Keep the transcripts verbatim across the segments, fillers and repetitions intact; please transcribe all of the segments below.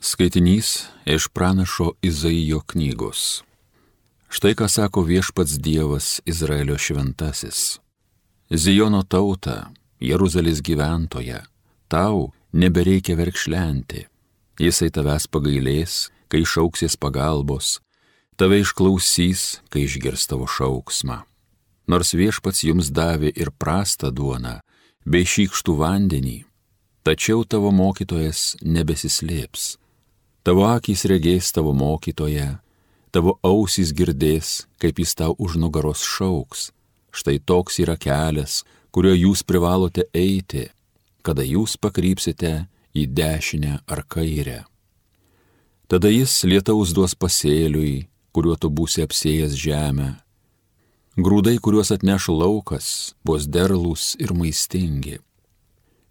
Skaitinys iš pranašo Izaijo knygos. Štai ką sako viešpats Dievas Izraelio šventasis. Zijono tauta, Jeruzalės gyventoja, tau nebereikia verkšlenti. Jisai tavęs pagailės, kai šauksies pagalbos, tave išklausys, kai išgirs tavo šauksmą. Nors viešpats jums davė ir prastą duoną, bei šykštų vandenį, tačiau tavo mokytojas nebesislėps. Tavo akys regės tavo mokytoją, tavo ausys girdės, kaip jis tau už nugaros šauks. Štai toks yra kelias, kuriuo jūs privalote eiti, kada jūs pakrypsite į dešinę ar kairę. Tada jis lietaus duos pasėliui, kuriuo tu būsi apsėjęs žemę. Grūdai, kuriuos atneš laukas, bus derlūs ir maistingi.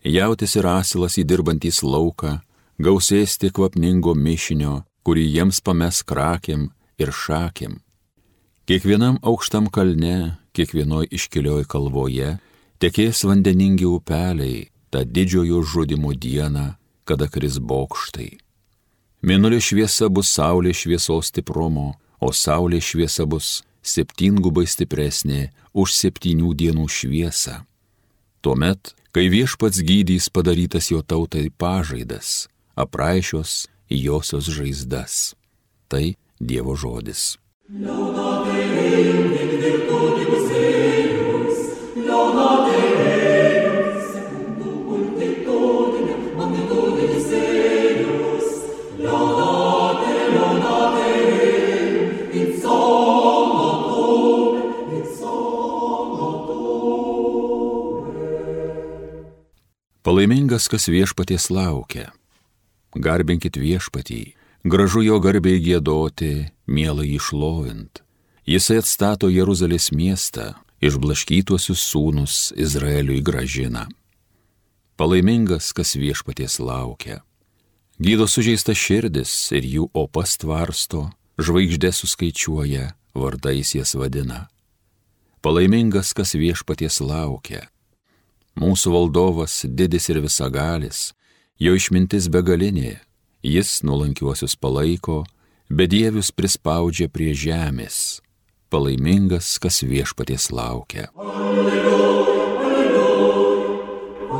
Jautis ir asilas įdirbantys lauką, gausės tik kvapningo mišinio, kurį jiems pames krakėm ir šakėm. Kiekvienam aukštam kalne, kiekvienoj iškilioj kalvoje, tekės vandeningi upeliai, tą didžiojo žudimo dieną, kada kris bokštai. Mėnulio šviesa bus saulės šviesos stiprumo, o saulės šviesa bus septyngubai stipresnė už septynių dienų šviesą. Tuomet, kai viešpats gydys padarytas jo tautai pažaidas, apraišios josios žaizdas. Tai Dievo žodis. Palaimingas, kas viešpaties laukia. Garbinkit viešpatį, gražu jo garbei giedoti, mielai jį šlovint. Jisai atstato Jeruzalės miestą, išblaškytuosius sūnus Izraeliui grąžina. Palaimingas, kas viešpaties laukia. Gydo sužeistas širdis ir jų opas tvarsto, žvaigždės suskaičiuoja, vardais jas vadina. Palaimingas, kas viešpaties laukia. Mūsų valdovas didis ir visagalis, jo išmintis begalinė, jis nuolankiuosius palaiko, bedievius prispaudžia prie žemės. Palaimingas, kas viešpaties laukia. Alleluja, alleluja,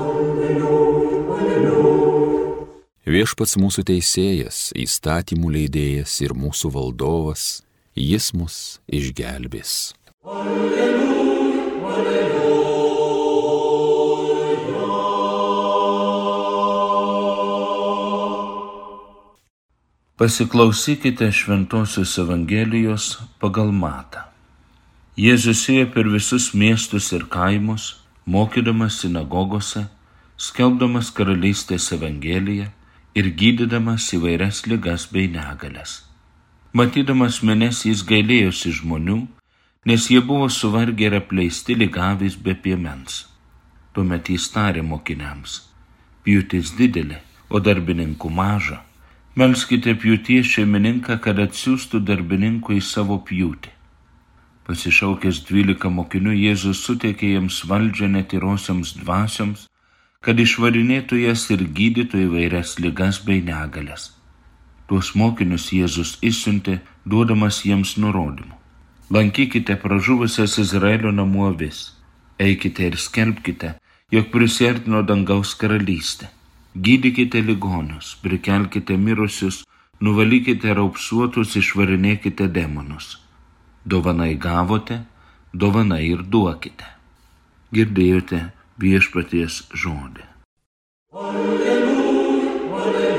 alleluja, alleluja. Viešpats mūsų teisėjas, įstatymų leidėjas ir mūsų valdovas, jis mus išgelbės. Alleluja, alleluja. Pasiklausykite Šventosios Evangelijos pagal Matą. Jėzus ėjo per visus miestus ir kaimus, mokydamas sinagogose, skelbdamas karalystės Evangeliją ir gydydamas įvairias ligas bei negalias. Matydamas minias jis gailėjosi žmonių, nes jie buvo suvargę ir apleisti ligavis be piemens. Tuomet jis tarė mokiniams: pjūtis didelė, o darbininkų maža. Melskite pjūties šeimininką, kad atsiųstų darbininkų į savo pjūtį. Pasišaukęs dvylika mokinių, Jėzus suteikė jiems valdžią netyrosioms dvasioms, kad išvarinėtų jas ir gydytų įvairias ligas bei negalias. Tuos mokinius Jėzus išsiuntė, duodamas jiems nurodymų. Lankykite pražuvusias Izraelio namų avis, eikite ir skelbkite, jog prisiartino dangaus karalystė. Gydykite ligonius, prikelkite mirusius, nuvalykite raupsuotus, išvarinėkite demonus. Dovanai gavote, dovanai ir duokite. Girdėjote viešpaties žodį. Alleluja, alleluja.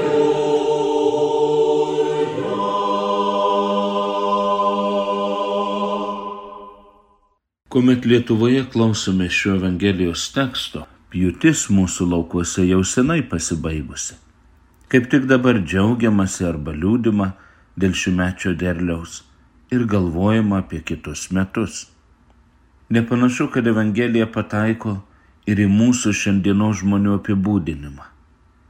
Kuomet Lietuvoje klausome šio Evangelijos teksto, pjūtis mūsų laukuose jau senai pasibaigusi. Kaip tik dabar džiaugiamasi arba liūdima dėl šiųmečio derliaus ir galvojama apie kitus metus. Nepanašu, kad Evangelija pataiko ir į mūsų šiandienos žmonių apibūdinimą.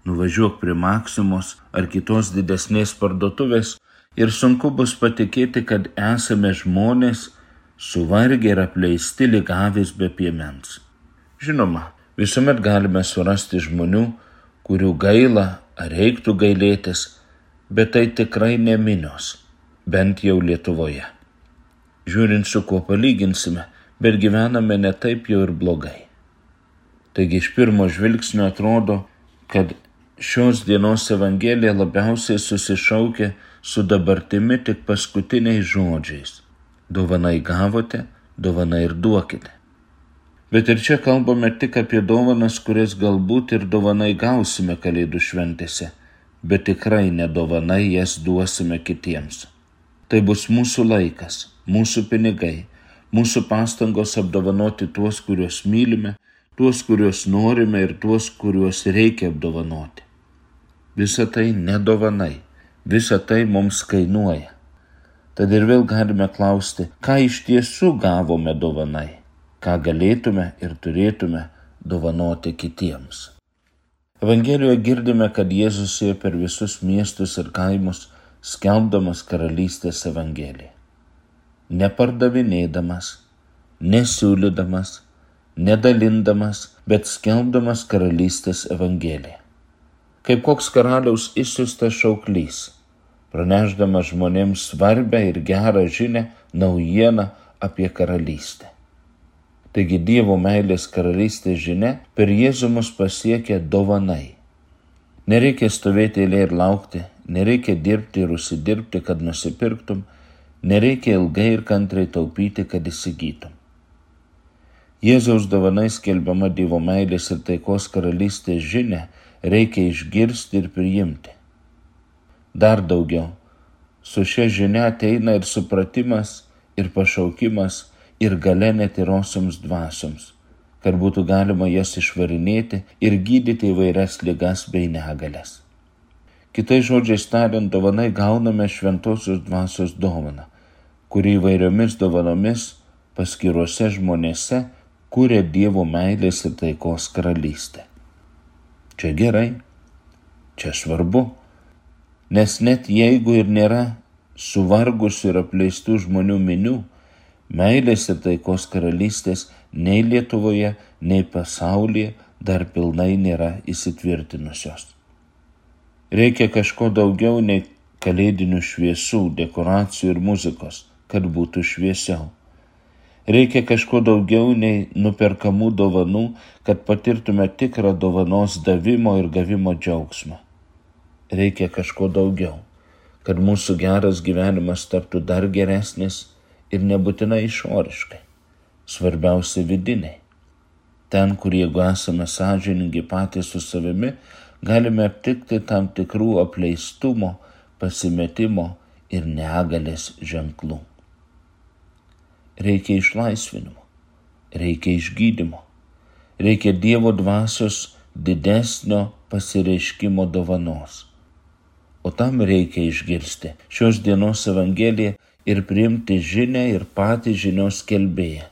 Nuvažiuok prie Maksimos ar kitos didesnės parduotuvės ir sunku bus patikėti, kad esame žmonės suvargę ir apleisti ligavis be piemens. Žinoma, visuomet galime surasti žmonių, kurių gaila ar reiktų gailėtis, bet tai tikrai ne minios, bent jau Lietuvoje. Žiūrint, su kuo palyginsime, bet gyvename ne taip jau ir blogai. Taigi iš pirmo žvilgsnio atrodo, kad šios dienos Evangelija labiausiai susišaukia su dabartimi tik paskutiniais žodžiais. Dovanai gavote, dovanai ir duokite. Bet ir čia kalbame tik apie dovanas, kurias galbūt ir dovanai gausime Kalėdų šventėse, bet tikrai ne dovanai jas duosime kitiems. Tai bus mūsų laikas, mūsų pinigai, mūsų pastangos apdovanoti tuos, kuriuos mylime, tuos, kuriuos norime ir tuos, kuriuos reikia apdovanoti. Visa tai ne dovanai, visa tai mums kainuoja. Tad ir vėl galime klausti, ką iš tiesų gavome dovanai, ką galėtume ir turėtume dovanoti kitiems. Evangelijoje girdime, kad Jėzus ėjo per visus miestus ir kaimus, skelbdamas karalystės evangeliją. Nepardavinėdamas, nesiūlydamas, nedalindamas, bet skelbdamas karalystės evangeliją. Kaip koks karaliaus išsiųstas šauklys, pranešdamas žmonėms svarbę ir gerą žinią, naujieną apie karalystę. Taigi Dievo meilės karalystės žinia per Jėzų mus pasiekia dovanai. Nereikia stovėti eilėje ir laukti, nereikia dirbti ir užsidirbti, kad nusipirktum, nereikia ilgai ir kantriai taupyti, kad įsigytum. Jėzaus dovanai skelbiama Dievo meilės ir taikos karalystės žinia reikia išgirsti ir priimti. Dar daugiau, su šia žinia ateina ir supratimas, ir pašaukimas, ir galia netyrosioms dvasioms, kad būtų galima jas išvarinėti ir gydyti įvairias ligas bei negalias. Kitais žodžiais tariant, dovanai gauname šventosios dvasios dovaną, kuri įvairiomis dovanomis paskiruose žmonėse kuria Dievo meilės ir taikos karalystę. Čia gerai, čia svarbu, nes net jeigu ir nėra suvargusių ir apleistų žmonių minių, meilės ir taikos karalystės nei Lietuvoje, nei pasaulyje dar pilnai nėra įsitvirtinusios. Reikia kažko daugiau nei kalėdinių šviesų, dekoracijų ir muzikos, kad būtų šviesiau. Reikia kažko daugiau nei nuperkamų dovanų, kad patirtume tikrą dovanos davimo ir gavimo džiaugsmą. Reikia kažko daugiau, kad mūsų geras gyvenimas taptų dar geresnis ir nebūtinai išoriškai, svarbiausia vidiniai. Ten, kur jeigu esame sąžiningi patys su savimi, galime aptikti tam tikrų apleistumo, pasimetimo ir negalės ženklų. Reikia išlaisvinimo, reikia išgydymo, reikia Dievo dvasios didesnio pasireiškimo dovanos. O tam reikia išgirsti šios dienos Evangeliją ir priimti žinią ir patį žinios skelbėją,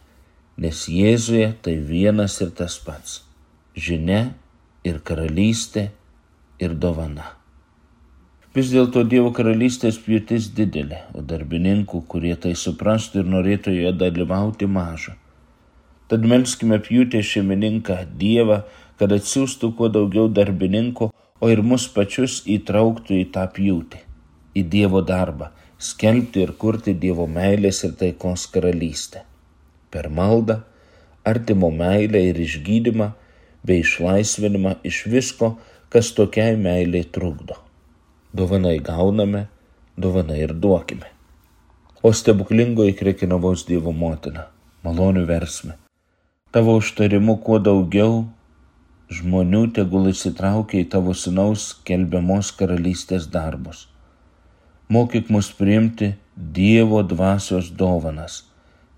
nes Jėzuje tai vienas ir tas pats – žinia ir karalystė ir dovana. Vis dėlto Dievo karalystės pjūtis didelė, o darbininkų, kurie tai suprastų ir norėtų joje dalyvauti, maža. Tad melskime pjūtės šeimininką Dievą, kad atsiųstų kuo daugiau darbininkų, o ir mus pačius įtrauktų į tą pjūtį, į Dievo darbą, skelbti ir kurti Dievo meilės ir taikos karalystę. Per maldą, artimo meilę ir išgydymą, bei išlaisvinimą iš visko, kas tokiai meiliai trukdo. Dovanai gauname, dovanai ir duokime. O stebuklingoji Krekenavos Dievo motina, malonių versme, tavo užtarimu kuo daugiau žmonių tegul įsitraukia į tavo sūnaus skelbiamos karalystės darbus. Mokyk mus priimti Dievo dvasios dovanas,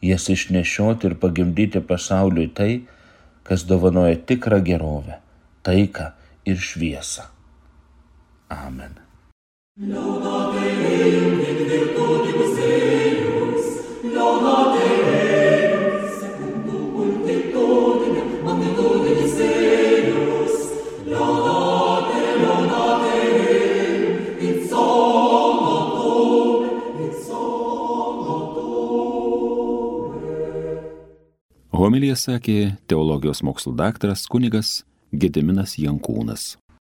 jas išnešioti ir pagimdyti pasauliui tai, kas dovanoja tikrą gerovę, taiką ir šviesą. Amen. Laudate Deum in virtutibus eius, laudate Deum secundum multitudinem magnitudinis eius, laudate, laudate Deum in solum, in solum. Homiliją sakė teologijos mokslų daktaras kunigas Gediminas Jankūnas.